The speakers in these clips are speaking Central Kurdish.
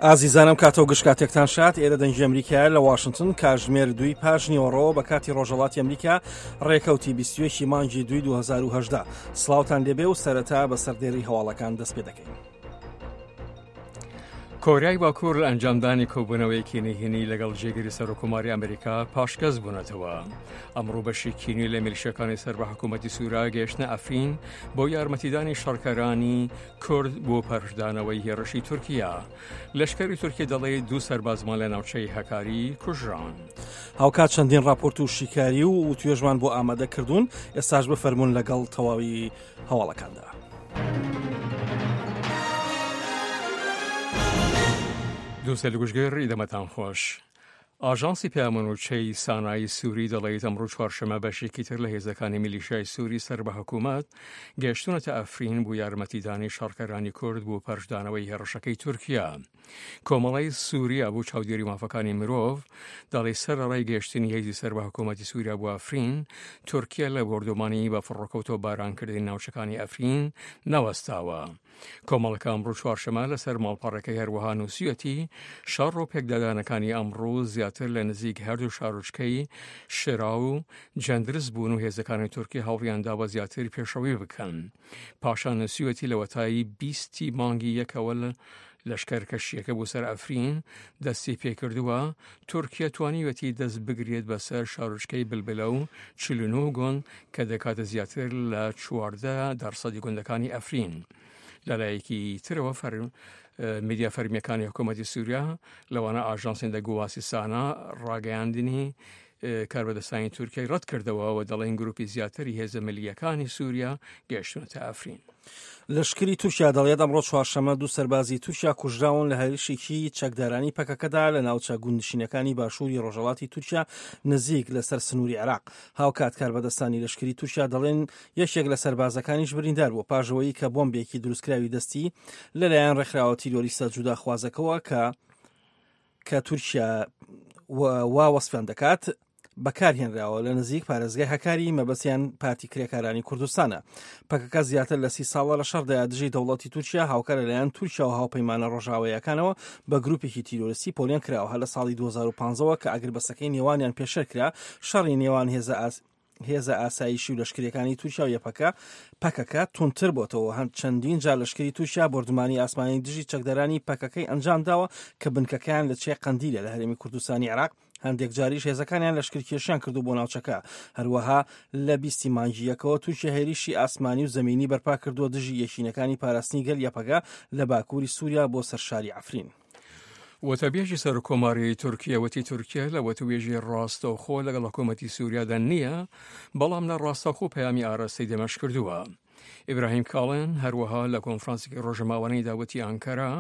ئازیزان ئەم کاتەو گشت کاتێکتان شاد ئێرە دەنگی ئەمریکایە لە واشنتن کاژمێر دووی پاش نیوەڕۆ بە کاتی ڕۆژەڵاتی ئەمریکا ڕێکەوتی 21 مانگی دوی 2010 سڵاوتان لێبێ و سەرەتا بە سەردێری هەواڵەکان دەست پێ دەکەین. کۆریای باکوور لە ئەنجامدانی کۆبوونەوەیەکی نهێنی لەگەڵ جێگری سەرۆککۆماری ئەمریکا پاشگەز بوونەتەوە. ئەمڕۆ بەشێکی نوێ لە میلیشیاکانی سەر بە حکوومەتی سووریا گەیشتنە ئەفرین بۆ یارمەتیدانی شەڕکەرانی کورد بۆ پەرشدانەوەی هێڕشی تورکیا. لەشکری تورکیا دەڵێ دوو سەربازمان لە ناوچەی هەکاری کوژران. هاوکات چەندین راپۆرت و شیکاری و وتوێژمان بۆ ئامادە کردوون ئێستاش بفەرمونون لەگەڵ تەواوی هەواڵەکاندا. دووسێ گوشگەر دەمەتان خۆش. ئاژانسی پەیامەنوچەی سانای سووری دەڵێت ئەمڕۆ چوارشەمە بەشێکی تر لە هێزەکانی میلیشیای سووری سەر بە حکوومەت گەشتونەتە ئەفرین بۆ یارمەتیدانی شەڕکەرانی کورد بۆ پەرشدانەوەی هێڕشەکەی تورکیا. کۆمەڵەی سووریا بۆ چاودێری مافەکانی مرۆڤ دەڵێ سەرەڕای گەشتنی هێزی سەر بە حکوومەتی سووریا بۆ ئەفرین، تورکیا لە بۆردومانی بە فڕۆکە و تۆپبارانکردنی ناوچەکانی ئەفرین نەوەستاوە. کۆمەڵەکە ئەمڕۆ چوارشەمە لەسەر ماڵپەڕەکەی هەروەها نووسیویەتی، شەڕ و پێکدادانەکانی ئەمڕۆ زیاتر لە نزیک هەردوو شارۆچکەی شرا و جەندرس بوون و هێزەکانی تورکی هەوڵیانداوە زیاتر پێشڕەوی بکەن. پاشان نووسیویەتی لەوەتای بیستی مانگی یەکەوە لەشکەرکەشییەکە بۆ سەر ئەفرین دەستی پێکردووە، تورکیا توانیویەتی دەست بگرێت بەسەر شارۆچکەی بلبلە و 49 گوند کە دەکاتە زیاتر لە 14 دەرسەدی گوندەکانی ئەفرین. لەلایەکی ترەوە فەر میدیا فەرمیەکانی حکوومەتی سووریا لەوانە ئاژانسی دەنگوباسی سانا ڕاگەیاندنی کاربەدەستانی تورکیای ڕەت کردەوە و دەڵێن گروپی زیاتری هێزە ملیەکانی سووریا گەیشتونەتە ئەفرین. لەشکری تورکیا دەڵێت ئەمڕۆ چوارشەممە دوو سەربازی تورکیا کوژراون لە هێرشێکی چەکدارانی پەکەکەدا لە ناوچە گوندنشینەکانی باشووری ڕۆژهەڵاتی تورکیا نزیک لەسەر سنووری عێراق. هاوکات کاربەدەستانی لەشکری تورکیا دەڵێن یەکێک لە سەربازەکانیش بریندار بووە پاش ئەوەی کە بۆمبێکی دروستکراوی دەستی لەلایەن ڕێکخراوە تیرۆریستە جوداخوازەکەوە کە کە تورکیا وا وەسفیان دەکات بەکارهێنراوە لە نزیک پارێزگای هەکاری مەبەستیان پارتی کرێکارانی کوردستانە. پەکەکە زیاتر لە سی ساڵە لە شەڕدایە دژی دەوڵەتی تورکیا هاوکار لەلایەن تورکیا و هاوپەیمانە ڕۆژاواییەکانەوە بە گروپێکی تیرۆریستی پۆلێن کراوە هەر لە ساڵی 2015ەوە کە ئاگربەستەکەی نێوانیان پێشێل کرا شەڕی نێوان هێزە هێزە ئاسایشی و لەشکریەکانی تورکیا و یەپەکە پەکەکە توندتر بۆتەوە هەند چەندین جار لەشکری تورکیا بۆردومانی ئاسمانی دژی چەکدارانی پەکەکەی ئەنجام داوە کە بنکەکەیان لە چیای قەندیلە لە هەرێمی کوردستانی عێراق هەندێک جاریش هێزەکانیان لەشکرکێشیان کردو بۆ ناوچەکە هەروەها لە بیستی مانگی یەکەوە تورکیا هێریشی ئاسمانی و زەمینی بەرپا کردووە دژی یەکینەکانی پاراستنی گەل یەپەگە لە باکووری سووریا بۆ سەر شاری عەفرین. وتەبێژی سەرۆککۆماری تورکیە وتی تورکیە لە وتوێژی ڕاستەوخۆ لەگەڵ حکوومەتی سووریادا نییە، بەڵام نە ڕاستەوخۆ پەیامی ئاراستەی دەمەشق کردووە. ئیبراهیم کاڵن هەروەها لە کۆنفرانسێکی ڕۆژەماوانیدا وتی ئانکەرا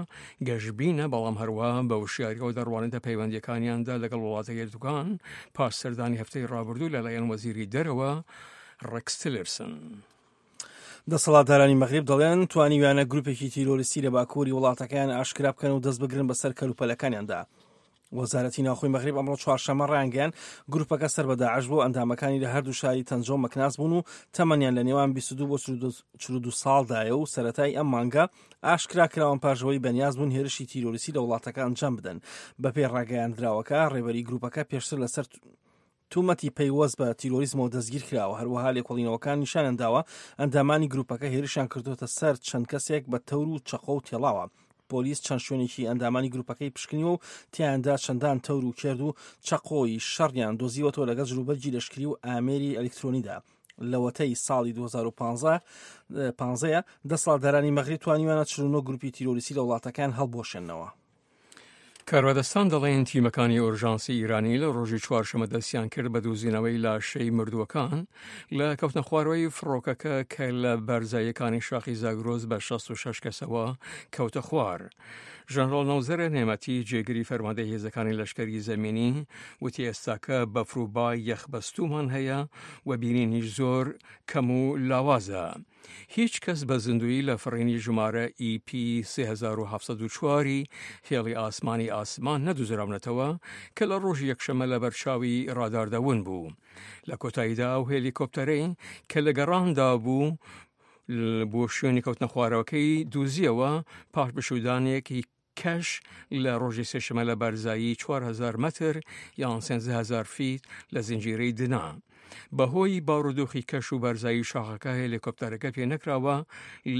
گەشبینە، بەڵام هەروەها بە وشیاریەوە دەڕوانێتە پەیوەندییەکانیاندا لەگەڵ وڵاتە یەکگرتووەکان پاش سەردانی هەفتەی ڕابردوو لەلایەن وەزیری دەرەوە ڕێکس تیلرسن. دەسەڵاتدارانی مەغریب دەڵێن توانیویانە گروپێکی تیرۆریستی لە باکووری وڵاتەکەیان ئاشکرا بکەن و دەست بگرن بەسەر کەلوپەلەکانیاندا. وەزارەتی ناوخۆی مەغریب ئەمڕۆ چوارشەممە ڕایانگەیاند گروپەکە سەر بە داعش بوو ئەندامەکانی لە هەردوو شاری تەنجە و مەکناس بوون و تەمەنیان لە نێوان 22 بۆ 42 ساڵدایە و سەرەتای ئەم مانگە ئاشکرا کراون پاش ئەوەی بەنیاز بوون هێرشی تیرۆریستی لە وڵاتەکە ئەنجام بدەن. بەپێی ڕاگەیاندراوەکە ڕێبەری گروپەکە پێشتر لەسەر تومەتی پەیوەست بە تیرۆریزمەوە دەستگیرکراوە، هەروەها لێکۆڵینەوەکان نیشانیان داوە ئەندامانی گروپەکە هێرشیان کردووەتە سەر چەند کەسێک بە تەور و چەقۆ و تێڵاوە. پۆلیس چەند شوێنێکی ئەندامانی گروپەکەی پشکنیوە و تیایاندا چەندان تەور و کێرد و چەقۆی شەڕیان دۆزیوەتەوە لەگەڵ جلوبەرگی لەشکری و ئامێری ئەلیکترۆنیدا. لەوەتەی ساڵی 2015 پانزەیە دەسەڵاتدارانی مەغریب توانیویانە 49 گروپی تیرۆریستی لە وڵاتەکەیان هەڵبوەشێننەوە. کاربەدەستان دەڵێن تیمەکانی ئۆرژانسی ئیرانی لە ڕۆژی چوارشەمە دەستیان کرد بە دۆزینەوەی لاشەی مردووەکان لە کەوتنە خوارەوەی فڕۆکەکە کە لە بەرزاییەکانی شاخی زاگرۆس بە 66 کەسەوە کەوتە خوار. ژەنڕاڵ نەوزەرە نێمەتی جێگری فەرماندەی هێزەکانی لەشکری زەمینی وتی ئێستاکە بەفر و بای یەخبەستوومان هەیە و بینینیش زۆر کەم و لاوازە. هیچ کەس بە زیندوویی لە فڕینی ژمارە EP 3704 ی هێڵی ئاسمانی ئاسمان نەدوزراونەتەوە کە لە ڕۆژی یەکشەممە لە بەرچاوی ڕاداردا ون بوو. لە کۆتاییدا ئەو هێلیکۆپتەرەی کە لە گەڕاندا بوو بۆ شوێنی کەوتنە خوارەوەکەی دوزیەوە پاش بشودانێکی. کەش لە ڕۆژی سێشەمە لە بەرزایی 4000 مەتر یان 13000 فیت لە زنجیرەی دنا. بەهۆی بارودۆخی کەش و بەرزایی شاخەکە هێلیکۆپتەرەکە پێ نەکراوە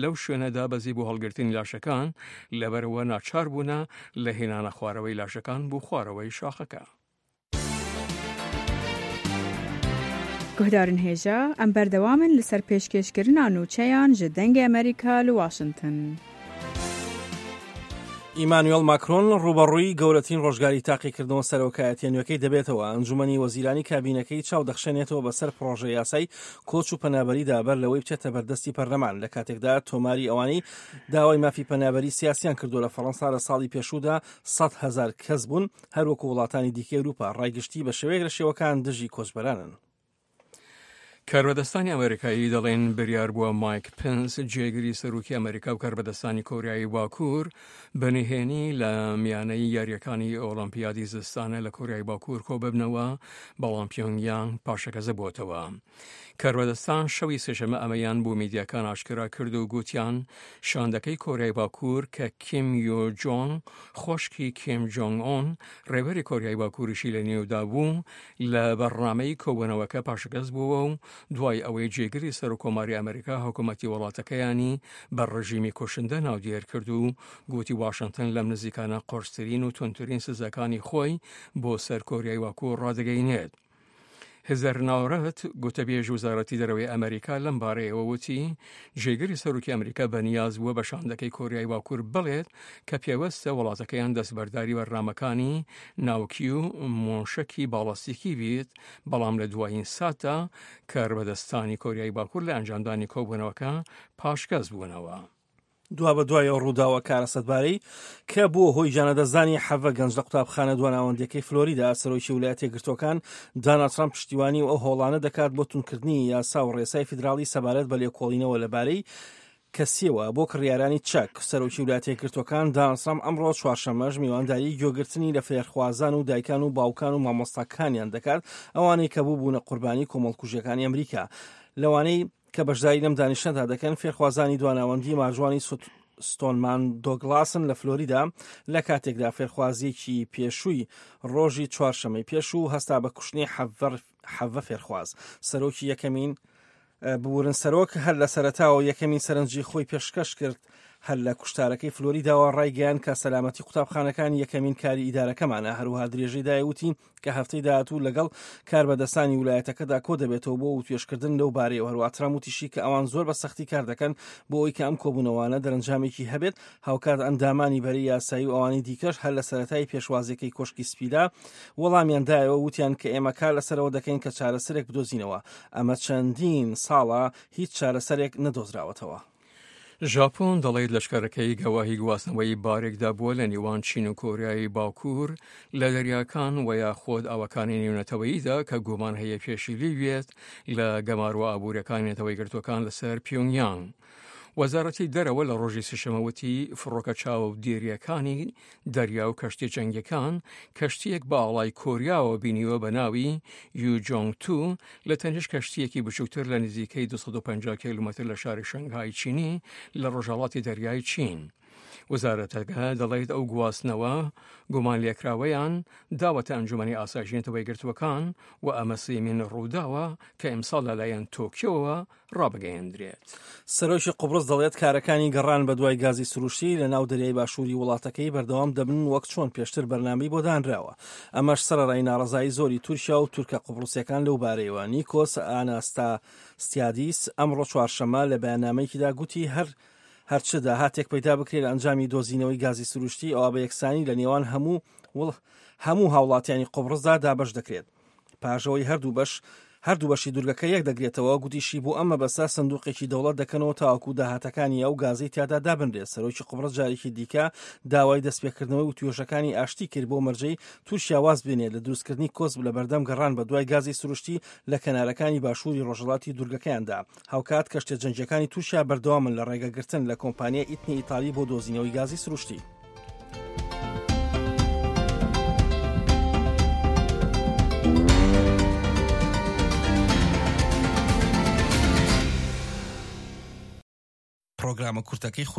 لەو شوێنە دابەزی بۆ هەڵگرتنی لاشەکان، لەبەرئەوە ناچار بوونە لە هێنانە خوارەوەی لاشەکان بۆ خوارەوەی شاخەکە. Guhdarên hêja, em berdewam in li ser pêşkêşkirina nûçeyan ji Dengê Amerîka li Washington. ئیمانوێڵ ماکرۆن ڕووبەڕووی گەورەترین ڕۆژگاری تاقیکردنەوە سەرۆکایەتیە نوێکەی دەبێتەوە، ئەنجومەنی وەزیرانی کابینەکەی چاو دەخشێنێتەوە بەسەر پڕۆژە یاسای کۆچ و پەنابەریدا بەر لەوەی بچێتە بەردەستی پەرلەمان، لە کاتێکدا تۆماری ئەوانەی داوای مافی پەنابەری سیاسیان کردووە لە فەڕەنسا لە ساڵی پێشوودا 100,000 کەس بوون، هەروەکو وڵاتانی دیکەی ئەوروپا ڕای گشتی بە شێوەیەک لە شێوەکان دژی کۆچبەرانن. کاربەدەستانی ئەمریکایی دەڵێن بریار بووە مایک پنس جێگری سەرۆکی ئەمریکا و کاربەدەستانی کۆریایی باکوور بە نهێنی لە میانەی یاریەکانی ئۆڵۆمپیادی زستانە لە کۆریای باکوور کۆ ببنەوە بەڵام پیۆنگیانگ پاشەکەزە بۆتەوە. کاربەدەستان شەوی سێشەمە ئەمەیان بۆ میدیاکان ئاشکرا کرد و گوتیان شاندەکەی کۆریای باکوور کە کیم یۆ جۆنگ خۆشکی کیم جۆنگ ئۆن ڕێبەری کۆریای باکووریشی لە نێودا بوو لە بەرنامەی کۆبوونەوەکە پاشگەز بووە و دوای ئەوەی جێگری سەرۆککۆماری ئەمریکا حکوومەتی وڵاتەکەیانی بە ڕژیمی کوشندە ناودێر کرد و گوتی واشنتن لەم نزیکانە قورسترین و توندترین سزاکانی خۆی بۆ سەر کۆریای باکوور ڕادەگەینێت. هزەر ناورەت، گوتەبێژ وەزارەتی دەرەوەی ئەمریکا لەم بارەیەوە وتی، جێگری سەرۆکی ئەمریکا بەنیاز بووە بە شاندەکەی کۆریای باکوور بڵێت کە پێوەستە وڵاتەکەیان دەستبەرداری بەرنامەکانی ناوکی و مۆشەکی باڵاستیکی بیت، بەڵام لە دوایین ساتدا کاربەدەستانی کۆریای باکوور لە ئەنجامدانی کۆبوونەوەکە پاشگەز بوونەوە. دوابەدوای ئەو ڕووداوە کارەساتبارەی کە بووە هۆی گیانلەدەستدانی حەڤە گەنج لە قوتابخانە دواناوەندیەکەی فلۆریدا، سەرۆکی ولایەتە یەکگرتووەکان داناڵد ترامپ پشتیوانی و ئەو هەوڵانە دەکات بۆ توندکردنی یاسا و ڕێسای فیدراڵی سەبارەت بە لێکۆڵینەوە لەبارەی کەسیەوە بۆ کڕیارانی چەک. سەرۆکی ولایەتە یەکگرتووەکان داناڵد ترامپ ئەمڕۆ چوارشەممەش میوانداری گوێگرتنی لە فێرخوازان و دایکان و باوکان و مامۆستاکانیان دەکات، ئەوانەی کە بووبوونە قوربانی کۆمەڵکوژیەکانی ئەمریکا، لەوانەی کە بەشداری لەم دانیشتنەدا دەکەن فێرخوازانی دواناوەندی مارجوانی ستۆنمان دۆگلاسن لە فلۆریدا لە کاتێکدا فێرخوازیەکی پێشووی ڕۆژی چوارشەمەی پێشوو هەستا بە کوشتنی حەڤە فێرخواز سەرۆکی یەکەمین ببورن سەرۆک هەر لە سەرەتاوە یەکەمین سەرنجی خۆی پێشکەش کرد هەر لە کوشتارەکەی فلۆریداوە ڕایگەیان کە سەلامەتی قوتابخانەکان یەکەمین کاری ئیدارەکەمانە هەروها درێژەی دایوتی کە هەفتەی داهاتوو لەگەڵ کاربەدەستانی ولایەتەکەدا کۆدەبێتەوە بۆ وتوێژکردن لەو بارەیەوە. هەروەها ترامپ وتیشی کە ئەوان زۆر بە سەختی کار دەکەن بۆ ئەوەی کە ئەم کۆبوونەوانە دەرەنجامێکی هەبێت، هاوکات ئەندامانی بەرەی یاسایی و ئەوانی دیکەش هەر لە سەرەتای پێشوازیەکەی کۆشکی سپیدا وەڵامیان دایەوە وتیان کە ئێمە کار لەسەرەوە دەکەین کە چارەسەرێک بدۆزینەوە، ئەمە چەندین ساڵە هیچ چارەسەرێک نەدۆزراوەتەوە. ژاپۆن دەڵێت لەشکەرەکەی گەواهی گواستنەوەی بارێکدا بووە لە نێوان چین و کۆریای باکوور لە دەریاکان و یاخود ئاوەکانی نێونەتەوەییدا کە گومان هەیە پێشیلی بێت لە گەمارۆ ئابووریەکانی نەتەوە یەکگرتووەکان لەسەر پیۆنگیانگ. وەزارەتی دەرەوە لە ڕۆژی سێشەممە وتی فڕۆکە چاودێرییەکانی دەریا و کەشتیە جەنگیەکان کەشتیەک بە ئاڵای کۆریاوە بینیوە بە ناوی یو جۆنگ تو لە تەنیشت کەشتیەکی بچووکتر لە نزیکەی 250 کیلومتر لە شاری شەنگهای چینی لە ڕۆژهەڵاتی دەریای چین. وەزارەتەکە دەڵێت ئەو گواستنەوە گومانلێکراوەیان داوەتە ئەنجومەنی ئاسایشی نەتەوە یەکگرتووەکان و ئەمە سێیەمین ڕووداوە کە ئیمساڵ لەلایەن تۆکیۆوە ڕابگەیەندرێت. سەرۆکی قوبڕس دەڵێت کارەکانی گەڕان بەدوای گازی سروشتی لە ناو دەریای باشووری وڵاتەکەی بەردەوام دەبن وەک چۆن پێشتر بەرنامەی بۆ دانراوە. ئەمەش سەرەڕای ناڕەزایی زۆری تورکیا و تورکە قوبڕسیەکان لەو بارەیەوە. نیکۆس ئاناستاسیادیس ئەمڕۆ چوارشەممە لە بەیاننامەیەکیدا گوتی هەر هەرچ داهاتێک پەیدا بکرێت لە ئەنجامی دۆزینەوەی گازی سروشتی ئەوا بە یەکسانی لە نێوان هەموو هەموو هاوڵاتیانی قوبڕسدا دابەش دەکرێت. پاش ئەوەی هەردوو بەش هەردوو بەشی دوورگەکە یەک دەگرێتەوە، گوتیشی بۆ ئەم مەبەستە سندوقێکی دەوڵەت دەکەنەوە تاوەکو داهاتەکانی ئەو گازەی تیادا دابنرێت. سەرۆکی قوبڕس جارێکی دیکە داوای دەستپێکردنەوەی وتوێژەکانی ئاشتی کرد بۆ مەرجەی تورکیا واز بێنێت لە دروستکردنی کۆسپ لەبەردەم گەڕان بەدوای گازی سروشتی لە کەنارەکانی باشووری ڕۆژهەڵاتی دوورگەکەیاندا. هاوکات کەشتیە جەنگییەکانی تورکیا بەردەوامن لە ڕێگەگرتن لە کۆمپانیای ئیتنی ئیتالی بۆ دۆزینەوەی گازی سروشتی. پڕۆگرامە کورتەکەی.